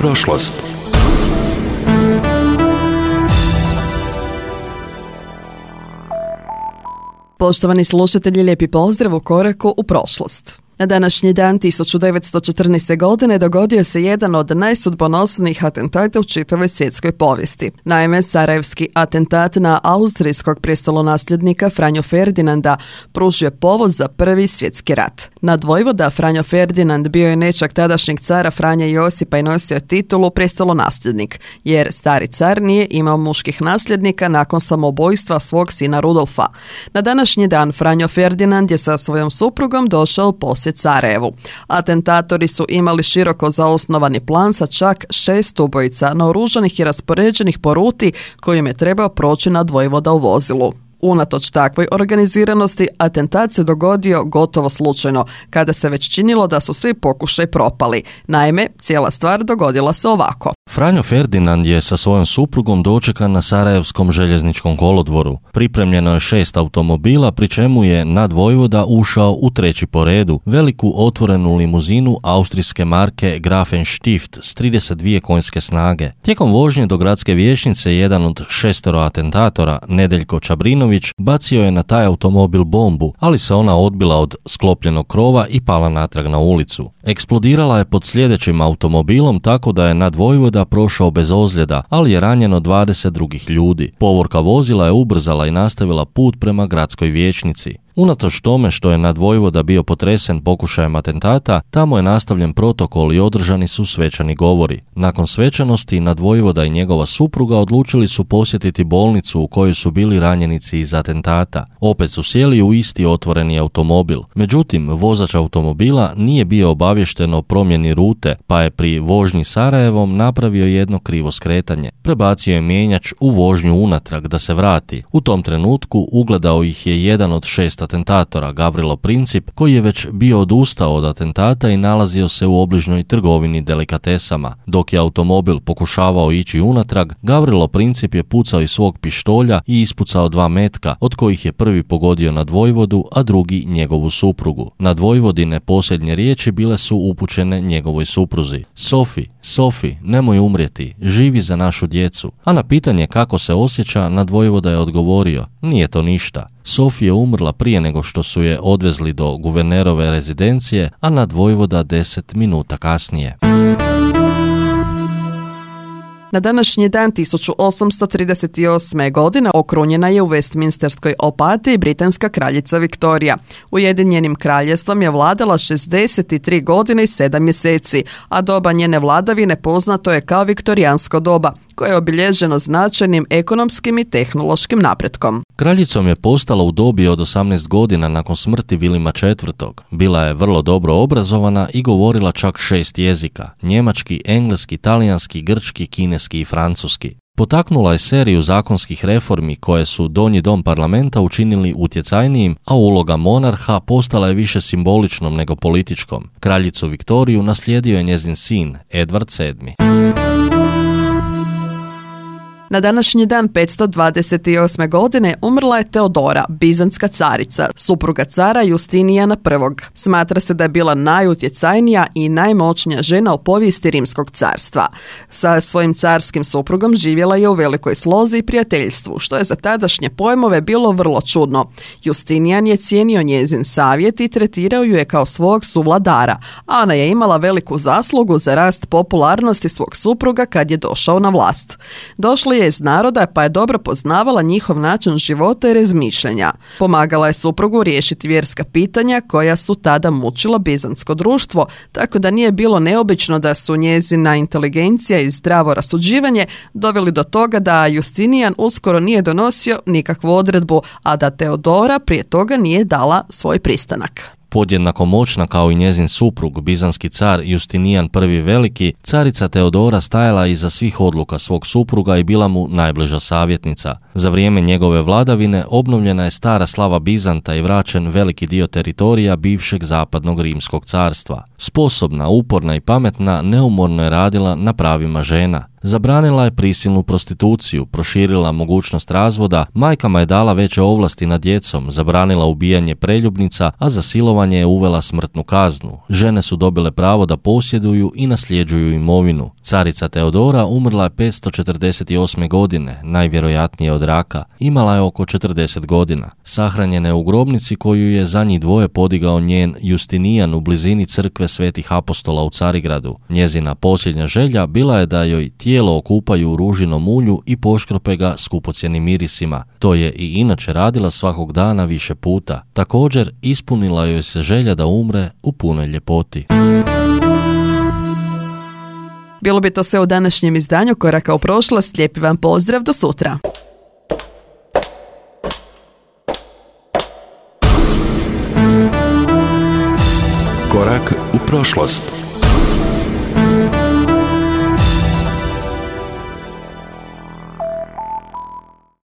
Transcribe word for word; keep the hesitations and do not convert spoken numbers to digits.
Prošlost. Poštovani slušatelji, lijepi pozdrav u koraku u prošlost. Na današnji dan tisuću devetsto četrnaeste. godine dogodio se jedan od najsudbonosnijih atentata u čitavoj svjetskoj povijesti. Naime, sarajevski atentat na austrijskog prestolonasljednika Franju Ferdinanda pružio je povod za prvi svjetski rat. Nadvojvoda Franjo Ferdinand bio je nećak tadašnjeg cara Franje Josipa i nosio titulu prestolonasljednik, jer stari car nije imao muških nasljednika nakon samoubojstva svog sina Rudolfa. Na današnji dan Franjo Ferdinand je sa svojom suprugom došao u posjet Sarajevu. Atentatori su imali široko zaosnovani plan sa čak šest ubojica naoružanih i raspoređenih po ruti kojim je trebao proći nadvojvoda u vozilu. Unatoč takvoj organiziranosti, atentat se dogodio gotovo slučajno, kada se već činilo da su svi pokušaj propali. Naime, cijela stvar dogodila se ovako. Franjo Ferdinand je sa svojom suprugom dočekan na Sarajevskom željezničkom kolodvoru. Pripremljeno je šest automobila, pri čemu je nadvojvoda ušao u treći po redu, veliku otvorenu limuzinu austrijske marke Grafenstift s trideset dvije konjske snage. Tijekom vožnje do gradske vijećnice jedan od šestero atentatora, Nedeljko Čabrinović, bacio je na taj automobil bombu, ali se ona odbila od sklopljenog krova i pala natrag na ulicu. Eksplodirala je pod sljedećim automobilom tako da je nadvojvoda prošao bez ozljeda, ali je ranjeno dvadeset drugih ljudi. Povorka vozila je ubrzala i nastavila put prema gradskoj vijećnici. Unatoč tome što je nadvojvoda bio potresen pokušajem atentata, tamo je nastavljen protokol i održani su svečani govori. Nakon svečanosti, nadvojvoda i njegova supruga odlučili su posjetiti bolnicu u kojoj su bili ranjenici iz atentata. Opet su sjeli u isti otvoreni automobil. Međutim, vozač automobila nije bio obavješten o promjeni rute, pa je pri vožnji Sarajevom napravio jedno krivo skretanje. Prebacio je mijenjač u vožnju unatrag da se vrati. U tom trenutku ugledao ih je jedan od šest atentatora, Gavrilo Princip, koji je već bio odustao od atentata i nalazio se u obližnjoj trgovini delikatesama. Dok je automobil pokušavao ići unatrag, Gavrilo Princip je pucao iz svog pištolja i ispucao dva metka, od kojih je prvi pogodio nadvojvodu, a drugi njegovu suprugu. Nadvojvodine posljednje riječi bile su upućene njegovoj supruzi. Sofi, Sofi, nemoj umrijeti, živi za našu djecu. A na pitanje kako se osjeća, nadvojvoda je odgovorio, nije to ništa. Sofi je umrla prije nego što su je odvezli do guvernerove rezidencije, a nadvojvoda deset minuta kasnije. Na današnji dan tisuću osamsto trideset osme. godine okrunjena je u Westminsterskoj opatiji britanska kraljica Viktorija. Ujedinjenim kraljevstvom je vladala šezdeset tri godine i sedam mjeseci, a doba njene vladavine poznato je kao viktorijansko doba, koje je obilježeno značajnim ekonomskim i tehnološkim napretkom. Kraljicom je postala u dobi od osamnaest godina nakon smrti Vilima četvrtog. Bila je vrlo dobro obrazovana i govorila čak šest jezika: njemački, engleski, talijanski, grčki, kineski i francuski. Potaknula je seriju zakonskih reformi koje su donji dom parlamenta učinili utjecajnijim, a uloga monarha postala je više simboličnom nego političkom. Kraljicu Viktoriju naslijedio je njezin sin, Edvard sedmi. Na današnji dan petsto dvadeset osme. godine umrla je Teodora, bizantska carica, supruga cara Justinijana prvog. Smatra se da je bila najutjecajnija i najmoćnija žena u povijesti Rimskog carstva. Sa svojim carskim suprugom živjela je u velikoj slozi i prijateljstvu, što je za tadašnje pojmove bilo vrlo čudno. Justinijan je cijenio njezin savjet i tretirao ju je kao svog suvladara, a ona je imala veliku zaslugu za rast popularnosti svog supruga kad je došao na vlast. Došli je iz naroda, pa je dobro poznavala njihov način života i razmišljanja. Pomagala je suprugu riješiti vjerska pitanja koja su tada mučila bizantsko društvo, tako da nije bilo neobično da su njezina inteligencija i zdravo rasuđivanje doveli do toga da Justinijan uskoro nije donosio nikakvu odredbu, a da Teodora prije toga nije dala svoj pristanak. Podjednako moćna kao i njezin suprug, bizanski car Justinijan prvi veliki, carica Teodora stajala iza svih odluka svog supruga i bila mu najbliža savjetnica. Za vrijeme njegove vladavine obnovljena je stara slava Bizanta i vraćen veliki dio teritorija bivšeg zapadnog rimskog carstva. Sposobna, uporna i pametna, neumorno je radila na pravima žena. Zabranila je prisilnu prostituciju, proširila mogućnost razvoda, majkama je dala veće ovlasti nad djecom, zabranila ubijanje preljubnica, a za silovanje je uvela smrtnu kaznu. Žene su dobile pravo da posjeduju i nasljeđuju imovinu. Carica Teodora umrla je petsto četrdeset osme. godine, najvjerojatnije od raka. Imala je oko četrdeset godina. Sahranjena je u grobnici koju je za njih dvoje podigao njen Justinijan u blizini crkve Svetih apostola u Carigradu. Njezina posljednja želja bila je da joj tijelo okupaju u ružinom ulju i poškrope ga skupocjenim mirisima. To je i inače radila svakog dana više puta. Također, ispunila joj se želja da umre u punoj ljepoti. Bilo bi to sve u današnjem izdanju Koraka u prošlost. Lijepi vam pozdrav, do sutra. Korak u prošlost.